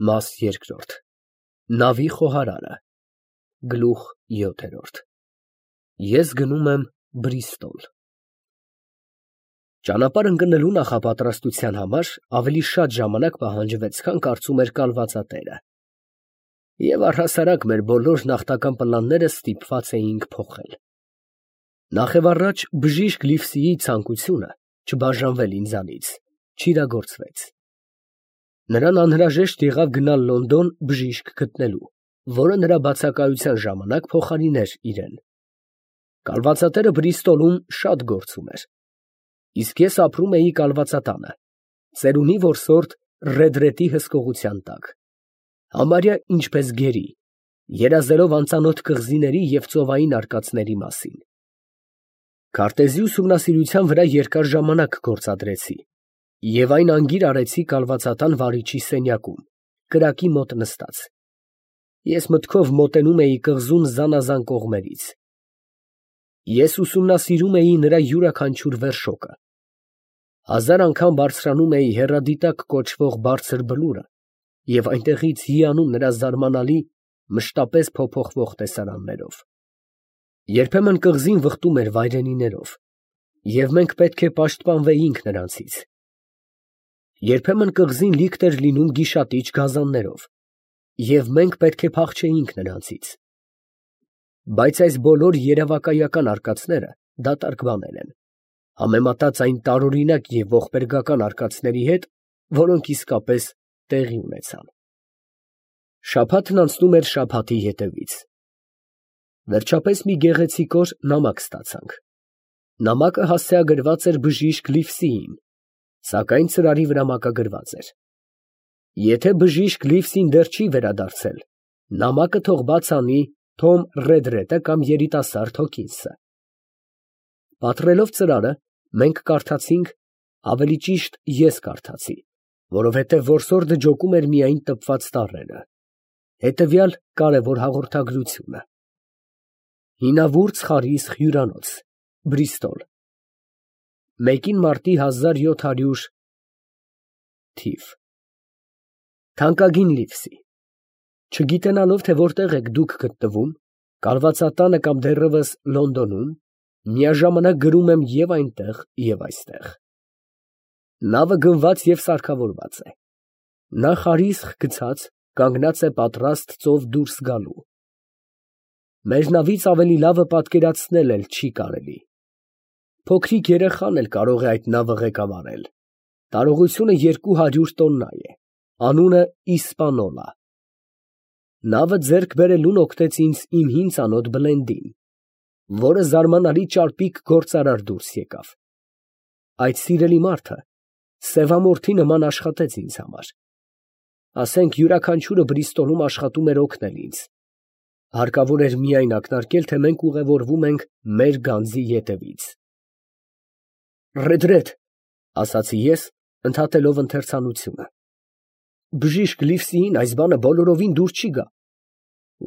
Մաս երկրորդ Նավի խոհարարը Գլուխ 7 Ես գնում եմ Բրիստոլ Ճանապարհ ընկնելու նախապատրաստության համար ավելի շատ ժամանակ պահանջվեց, քան կարծում էր կալվածատերը, և առհասարակ մեր բոլոր նախնական պլանները ստիպված էինք փոխել։ Նախևառաջ բժիշկ Լիվսիի ցանկությունը չբաժանվել ինձանից չիրագործվեց։ Նրան անհրաժեշտ եղավ գնալ Լոնդոն բժիշկ գտնելու, որը նրա բացակայության ժամանակ փոխարիներ իրեն։ Կալվածատերը Բրիստոլում շատ գործ ուներ, իսկ ես ապրում էի կալվածատանը, ծերունի որսորդ Ռեդրետի հսկողության տակ, համարյա ինչպես գերի, երազելով անծանոթ կղզիների և ծովային արկածների մասին։ Քարտեզի ուսումնասիրության վրա երկար ժամանակ գործադրեցի և այն անգիր արեցի կալվածատան վարիչի սենյակում, կրակի մոտ նստած։ Ես մտքով մոտենում էի կղզուն զանազան կողմերից։ Ես ուսումնասիրում էի նրա յուրաքանչյուր վերշոկը։ Հազար անգամ բարձրանում էի հեռադիտակ կոչվող բարձր բլուրը և այնտեղից հիանում նրա զարմանալի, մշտապես փոփոխվող տեսարաններով։ Երբեմն կղզին վխտում էր վայրենիներով, և մենք պետք է պաշտպանվեինք նրանցից։ Երբեմն կղզին լիքտ էր լինում գիշատիչ գազաններով, և մենք պետք է փախչեինք նրանցից։ Բայց այս բոլոր երևակայական արկածները դատարկ բաներ են, համեմատած այն տարօրինակ և ողբերգական արկածների հետ, որոնք իսկապես տեղի ունեցան։ Շաբաթն անցնում էր շաբաթի հետևից։ Վերջապես մի գեղեցիկ օր նամակ ստացանք։ Նամակը հասցեագրված էր բժիշկ Լիվսիին, սակայն ծրարի վրա մակագրված էր. եթե բժիշկ Լիվսին դեռ չի վերադարձել, նամակը թող բաց անի Թոմ Ռեդրետը կամ երիտասարդ Հոքինսը։ Պատռելով ծրարը, մենք կարդացինք, ավելի ճիշտ ես կարդացի, որովհետև որսորդը ջոկում էր միայն տպված տառերը, հետևյալ կարևոր հաղորդագրությունը. Հինավուրց Խարիսխ հյուրանոց, Բրիստոլ, 1 մարտի 1700 թիվ։ Թանկագին Լիվսի, չգիտենալով, թե որտեղ եք դուք գտնվում, կալվածատանը կամ դեռևս Լոնդոնում, միաժամանակ գրում եմ և այնտեղ, և այստեղ։ Նավը գնված և սարքավորված է։ Նա Խարիսխ գցած, կանգնած է պատրաստ ծով դուրս գալու։ Մեր նավից ավելի լավը պատկերացնել էլ չի կարելի։ Փոքրիկ երեխան էլ կարող է այդ նավը ղեկավարել։ Տարողությունը 200 տոննա է, անունը Իսպանոլա։ Նավը ձեռք բերելուն օգնեց ինձ իմ հին ծանոթ Բլենդին, որը զարմանալի ճարպիկ գործարար դուրս եկավ։ Այդ սիրելի մարդը սևամորթի նման աշխատեց ինձ համար։ Ասենք յուրաքանչյուրը Բրիստոլում աշխատում էր օգնել ինձ։ Հարկավոր էր միայն ակնարկել, թե մենք ուղևորվում ենք մեր գանձի ետևից։ Ռեդրետ, ասացի ես, ընդհատելով ընթերցանությունը, բժիշկ Լիվսիին այս բանը բոլորովին դուր չի գա։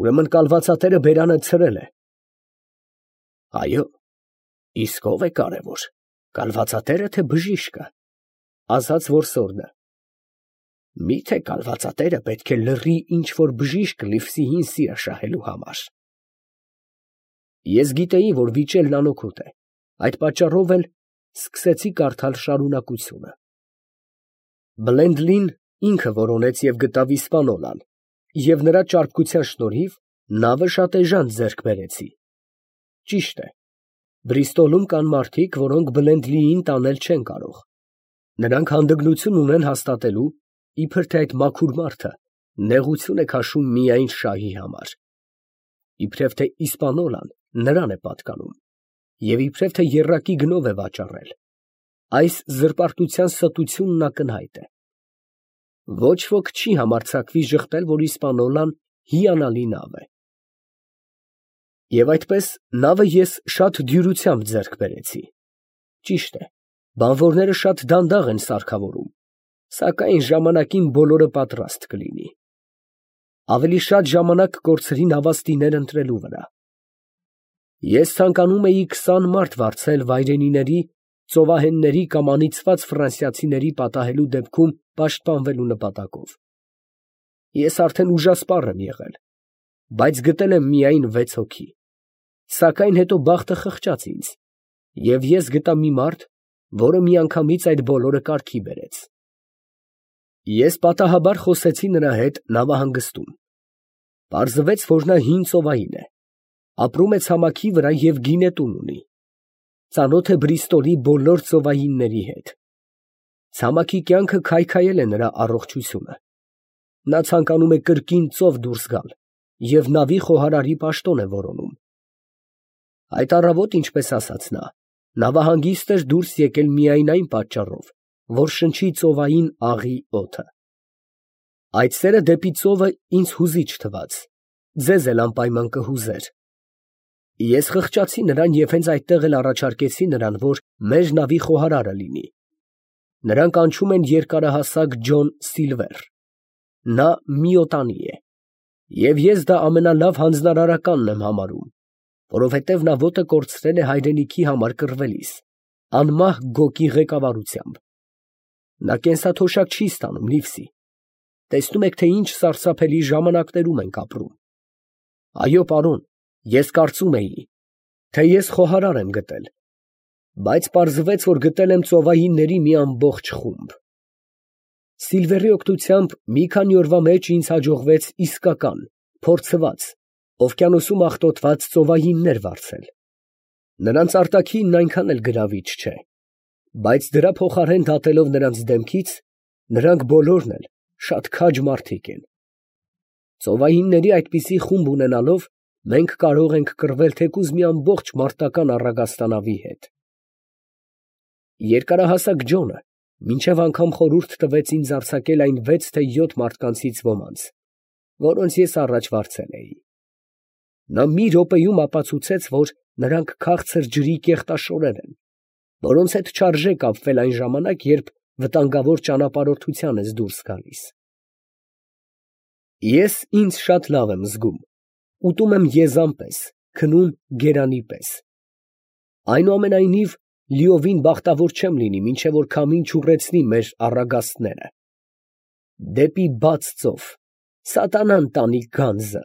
Ուրեմն կալվածատերը բերանը ցրել է։ Այո, իսկ ով է կարևոր, կալվածատերը թե բժիշկը, ասաց որսորդը։ Միթե կալվածատերը պետք է լռի ինչ֊որ բժիշկ Լիվսիին սիրը շահելու համար։ Ես գիտեի, որ վիճելն անօգուտ է, այդ պատճառով էլ սկսեցի կարդալ շարունակությունը։ Բլենդլին ինքը որոնեց և գտավ Իսպանոլան, և նրա ճարպկության շնորհիվ նավը շատ էժան ձեռք բերեցի։ Ճիշտ է, Բրիստոլում կան մարդիկ, որոնք Բլենդլիին տանել չեն կարող։ Նրանք հանդգնություն ունեն հաստատելու, իբր թե այդ մաքուր մարդը նեղություն է քաշում միայն շահի համար։ Իբրև թե Իսպանոլան նրան է պատկանում, և իբրև թե եռակի գնով է վաճառել։ Այս զրպարտության ստությունն ակնհայտ է։ Ոչ ոք չի համարձակվի ժխտել, որ Իսպանոլան հիանալի նավ է։ Եվ այդպես նավը ես շատ դյուրությամբ ձեռք բերեցի։ Ճիշտ է, բանվորները շատ դանդաղ են սարքավորում, սակայն ժամանակին բոլորը պատրաստ կլինի։ Ավելի շատ ժամանակ կորցրի նավաստիներ ընտրելու վրա։ Ես ցանկանում էի 20 մարդ վարձել վայրենիների, ծովահենների կամ անիծված ֆրանսիացիների պատահելու դեպքում պաշտպանվելու նպատակով։ Ես արդեն ուժասպառ եմ եղել, բայց գտել եմ միայն 6 հոգի, սակայն հետո բախտը խղճաց ինձ, և ես գտա մի մարդ, որը միանգամից այդ բոլորը կարգի բերեց։ Ես պատահաբար խոսեցի նրա հետ նավահանգստում, պարզվեց, որ նա հին ծովային է, ապրում է ցամաքի վրա և գինետուն ունի, ծանոթ է Բրիստոլի բոլոր ծովայինների հետ։ Ցամաքի կյանքը քայքայել է նրա առողջությունը, նա ցանկանում է կրկին ծով դուրս գալ և նավի խոհարարի պաշտոն է որոնում։ Այդ առավոտ, ինչպես ասաց նա, նավահանգիստ էր դուրս եկել միայն այն պատճառով, որ շնչի ծովային աղի օդը։ Այդ սերը դեպի ծովը ինձ հուզիչ թվաց, ձեզ էլ անպայման կհուզեր։ Ես խղճացի նրան և հենց այդտեղ էլ առաջարկեցի նրան, որ մեր նավի խոհարարը լինի։ Նրան կանչում են երկարահասակ Ջոն Սիլվեր, նա միոտանի է, և ես դա ամենալավ հանձնարարականն եմ համարում, որովհետև նա ոտը կորցրել է հայրենիքի համար կռվելիս, անմահ Գոկի ղեկավարությամբ։ Նա կենսաթոշակ չի ստանում, Լիվսի, տեսնում եք, թե ինչ սարսափելի ժամանակներում ենք ապրում։ Այո, պարոն, ես կարծում էի, թե ես խոհարար եմ գտել, բայց պարզվեց, որ գտել եմ ծովայինների մի ամբողջ խումբ։ Սիլվերի օգնությամբ մի քանի օրվա մեջ ինձ հաջողվեց իսկական, փորձված, օվկիանոսում աղտոտված ծովայիններ վարձել։ Նրանց արտաքինն այնքան էլ գրավիչ չէ, բայց դրա փոխարեն դատելով նրանց դեմքից, նրանք բոլորն էլ շատ քաջ մարդիկ են։ Ծովայինների այդպիսի խումբ ունենալով, մենք կարող ենք կռվել թեկուզ մի ամբողջ մարտական առագաստանավի հետ։ Երկարահասակ Ջոնը մինչև անգամ խորհուրդ տվեց ինձ արձակել այն 6 թե 7 մարդկանցից ոմանց, որոնց ես առաջ վարձել էի։ Նա մի րոպեում ապացուցեց, որ նրանք քաղցր ջրի կեղտաշորեր են, որոնց հետ չարժե կապվել այն ժամանակ, երբ վտանգավոր ճանապարհորդության ես դուրս գալիս։ Ես ինձ շատ լավ եմ զգում, ուտում եմ եզան պես, քնում գերանի պես։ Այնուամենայնիվ, լիովին բախտավոր չեմ լինի, մինչև որ քամին չուռեցնի մեր առագաստները։ Դեպի բաց ծով, սատանան տանի գանձը,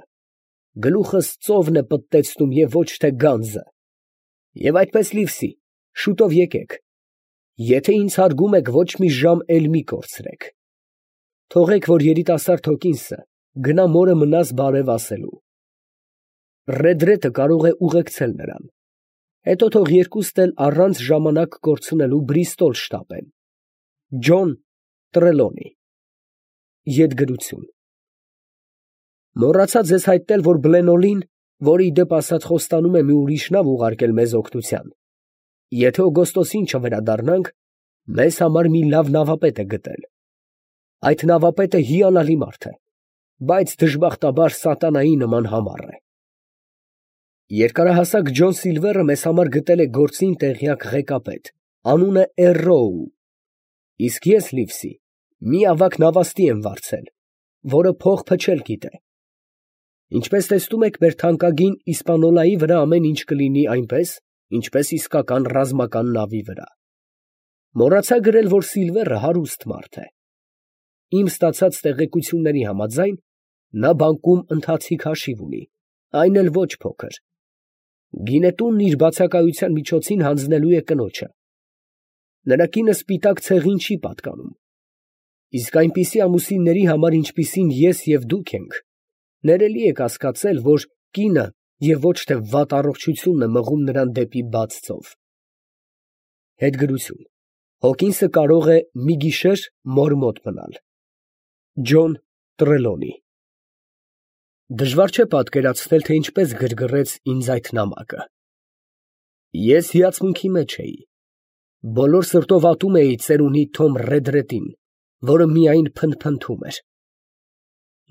գլուխս ծովն է պտտեցնում և ոչ թե գանձը։ Եվ այդպես, Լիվսի, շուտով եկեք, եթե ինձ հարգում եք, ոչ մի ժամ էլ մի կորցրեք։ Թողեք, որ երիտասարդ Հոկինսը գնա մորը մնաս բարև ասելու։ Ռեդրետը կարող է ուղեկցել նրան, հետո թող երկուստ էլ առանց ժամանակ կորցնելու Բրիստոլ շտապեն։ Ջոն Տրելոնի։ Ետգրություն։ Մոռացա ձեզ հայտնել, որ Բլենոլին, որը ի դեպ ասած խոստանում է մի ուրիշ նավ ուղարկել մեզ օգնության, եթե օգոստոսին չվերադառնանք, մեզ համար մի լավ նավապետ է գտել։ Այդ նավապետը հիանալի մարդ է, բայց դժբախտաբար սատանայի նման համառ է։ Երկարահասակ Ջոն Սիլվերը մեզ համար գտել է գործին տեղյակ ղեկապետ, անունը Էռոու, իսկ ես, Լիվսի, մի ավագ նավաստի եմ վարձել, որը փող փչել գիտե։ Ինչպես տեսնում եք, մեր թանկագին Իսպանոլայի վրա ամեն ինչ կլինի այնպես, ինչպես իսկական ռազմական նավի վրա։ Մոռացա գրել, որ Սիլվերը հարուստ մարդ է։ Իմ ստացած տեղեկությունների համաձայն, նա բանկում ընթացիկ հաշիվ ունի, այն էլ ոչ փոքր։ Գինետունն իր բացակայության միջոցին հանձնելու է կնոջը։ Նրա կինը սպիտակ ցեղին չի պատկանում։ Իսկ այնպիսի ամուսինների համար, ինչպիսին ես և դուք ենք, ներելի է կասկածել, որ կինը և ոչ թե վատ առողջությունն է մղում նրան դեպի բաց ծով։ Հետգրություն։ Հոկինսը կարող է մի գիշեր մոր մոտ մնալ։ Ջոն Տրելոնի։ Դժվար չէ պատկերացնել, թե ինչպես գրգռեց ինձ այդ նամակը։ Ես հիացմունքի մեջ էի։ Բոլոր սրտով ատում էի ծերունի Թոմ Ռեդրետին, որը միայն փնթփնթում էր։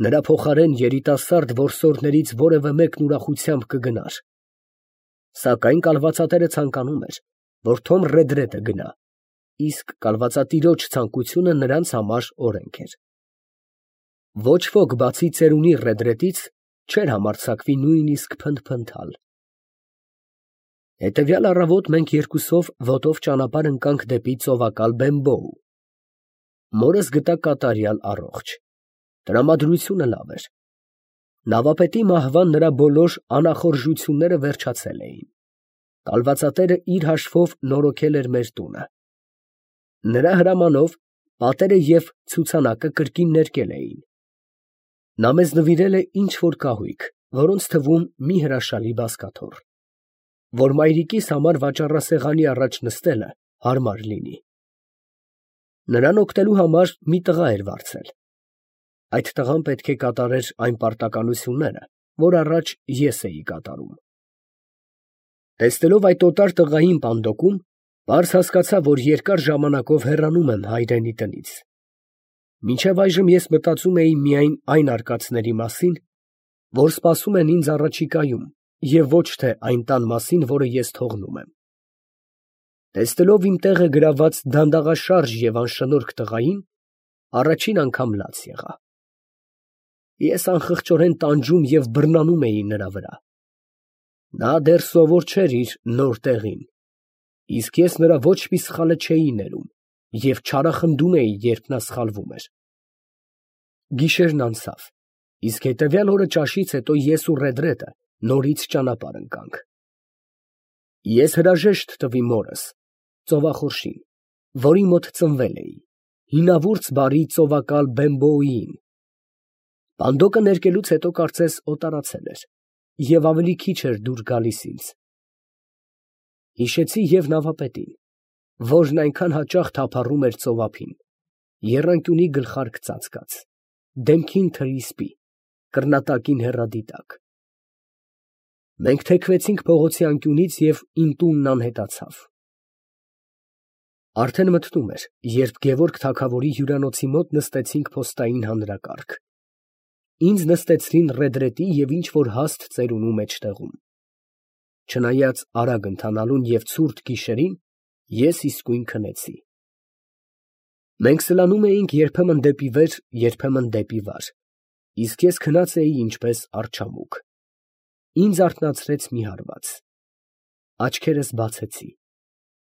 Նրա փոխարեն երիտասարդ որսորդներից որևէ մեկն ուրախությամբ կգնար։ Սակայն կալվածատերը ցանկանում էր, որ Թոմ Ռեդրետը գնա, իսկ կալվածատիրոջ ցանկությունը նրանց համար օրենք էր։ Ոչ ոք բացի ծերունի Ռեդրետից չէր համարձակվի նույնիսկ փնթփնթալ։ Հետևյալ առավոտ մենք երկուսով ոտով ճանապարհ ընկանք դեպի ծովակալ Բեմբոու։ Մորս գտա կատարյալ առողջ։ Տրամադրությունը լավ էր։ Նավապետի մահվան նրա բոլոր անախորժությունները վերջացել էին։ Կալվածատերը իր հաշվով նորոգել էր մեր տունը։ Նրա հրամանով պատերը և ցուցանակը կրկին ներկել էին։ Նա մեզ նվիրել է ինչ֊որ կահույք, որոնց թվում մի հրաշալի բազկաթոռ, որ մայրիկիս համար վաճառասեղանի առաջ նստելը հարմար լինի։ Նրան օգնելու համար մի տղա էր վարձել։ Այդ տղան պետք է կատարեր այն պարտականությունները, որ առաջ ես էի կատարում։ Տեսնելով այդ օտար տղային պանդոկում, պարզ հասկացա, որ երկար ժամանակով հեռանում եմ հայրենի տնից։ Մինչև այժմ ես մտածում էի միայն այն արկածների մասին, որ սպասում են ինձ առաջիկայում, և ոչ թե այն տան մասին, որը ես թողնում եմ։ Տեսնելով իմ տեղը գրաված դանդաղաշարժ և անշնորհք տղային, առաջին անգամ լաց եղա։ Ես անխղճորեն տանջում և բռնանում էի նրա վրա։ Նա դեռ սովոր չէր իր նոր տեղին, իսկ ես նրա ոչ մի սխալը չէի ներում և չարախնդում էի, երբ նա սխալվում էր։ Գիշերն անցավ, իսկ հետևյալ օրը ճաշից հետո ես ու Ռեդրեդը նորից ճանապարհ ընկանք։ Ես հրաժեշտ տվի մորս, ծովախորշին, որի մոտ ծնվել էի, հինավուրց բարի ծովակալ Բեմբոյին։ Պանդոկը ներկելուց հետո կարծես օտարացել էր և ավելի քիչ էր դուր գալիս ինձ։ Հիշեցի և նավապետին, որն այնքան հաճախ թափառում էր ծովափին, եռանկյունի գլխարկ ծածկած, դեմքին թրի սպի, կռնատակին հեռադիտակ։ Մենք թեքվեցինք փողոցի անկյունից և իմ տունն անհետացավ։ Արդեն մթնում էր, երբ Գևորգ թագավորի հյուրանոցի մոտ նստեցինք փոստային հանրակարգ։ Ինձ նստեցրին Ռեդրետի և ինչ֊որ հաստ ծերունու մեջտեղում։ Չնայած արագ ընթանալուն և ցուրտ գիշերին, ես իսկույն քնեցի։ Մենք սլանում էինք երբեմն դեպի վեր, երբեմն դեպի վար, իսկ ես քնած էի ինչպես արջամուկ։ Ինձ արթնացրեց մի հարված։ Աչքերս բացեցի։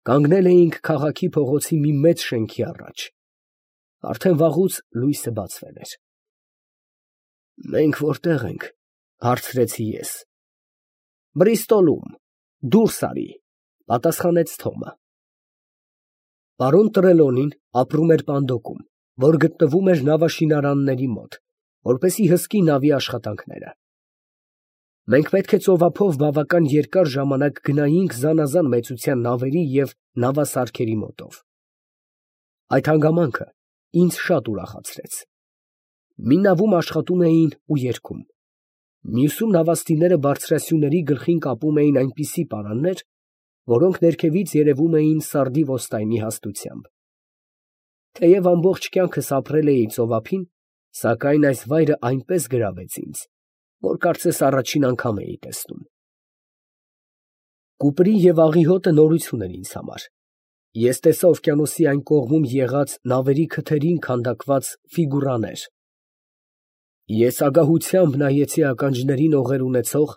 Կանգնել էինք քաղաքի փողոցի մի մեծ շենքի առաջ։ Արդեն վաղուց լույսը բացվել էր։ «Մենք որտե՞ղ ենք», հարցրեցի ես։ «Բրիստոլում, դուրս արի», պատասխանեց Թոմը։ Պարոն Տրելոնին ապրում էր պանդոկում, որ գտնվում էր նավաշինարանների մոտ, որպեսզի հսկի նավի աշխատանքները։ Մենք պետք է ծովափով բավական երկար ժամանակ գնայինք զանազան մեծության նավերի և նավասարքերի մոտով։ Այդ հանգամանքը ինձ շատ ուրախացրեց։ Մի նավում աշխատում էին ու երգում, մյուսում նավաստիները բարձրասյուների գլխին կապում էին այնպիսի պարաններ, որոնք ներքևից երևում էին սարդի ոստայնի հաստությամբ։ Թեև ամբողջ կյանքս ապրել էի ծովափին, սակայն այս վայրը այնպես գրավեց ինձ, որ կարծես առաջին անգամ էի տեսնում։ Կուպրի և աղի հոտը նորություն էր ինձ համար։ Ես տեսա օվկիանոսի այն կողմում եղած նավերի քթերին քանդակված ֆիգուրաներ։ Ես ագահությամբ նայեցի ականջներին օղեր ունեցող,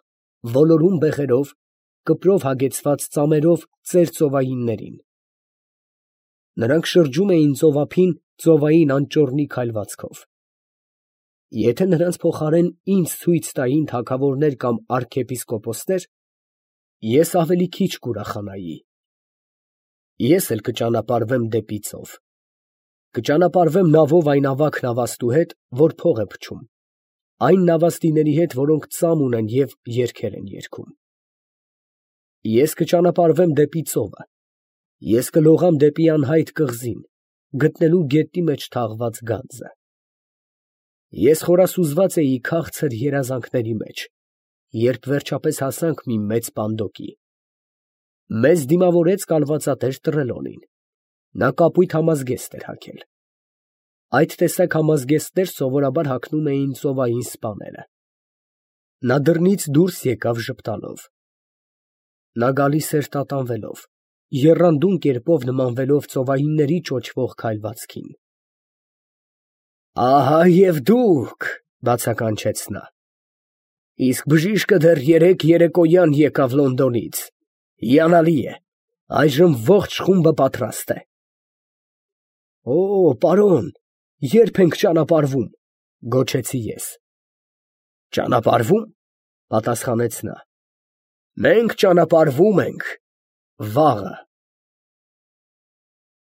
ոլորուն բեղերով, կպրով հագեցված ծամերով ծեր ծովայիններին։ Նրանք շրջում էին ծովափին ծովային անճոռնի քայլվածքով։ Եթե նրանց փոխարեն ինձ ցույց տային թագավորներ կամ արքեպիսկոպոսներ, ես ավելի քիչ կուրախանայի։ Ես էլ կճանապարհվեմ դեպի ծով։ Կճանապարհվեմ նավով այն ավագ նավաստու հետ, որ փող է փչում, այն նավաստիների հետ, որոնք ծամ ունեն և երգեր են երգում։ Ես կճանապարհվեմ դեպի ծովը։ Ես կլողամ դեպի անհայտ կղզին, գտնելու գետնի մեջ թաղված գանձը։ Ես խորասուզված էի քաղցր երազանքների մեջ, երբ վերջապես հասանք մի մեծ պանդոկի։ Մեզ դիմավորեց կալվածատեր Տրելոնին։ Նա կապույտ համազգեստ էր հագել։ Այդ տեսակ համազգեստներ սովորաբար հագնում էին ծովային սպաները։ Նա դռնից դուրս եկավ ժպտալով։ Նա գալիս էր տատանվելով, եռանդուն կերպով նմանվելով ծովայինների ճոճվող քայլվածքին։ «Ահա և դուք», բացականչեց նա։ «Իսկ բժիշկը դեռ երեկ երեկոյան եկավ Լոնդոնից։ Հիանալի է, այժմ ողջ խումբը պատրաստ է»։ «Օ, պարոն, ե՞րբ ենք ճանապարհվում», Գոչեցի ես։ Ճանապարհվո՞ւմ, պատասխանեց նա։ Մենք ճանապարհվում ենք վաղը։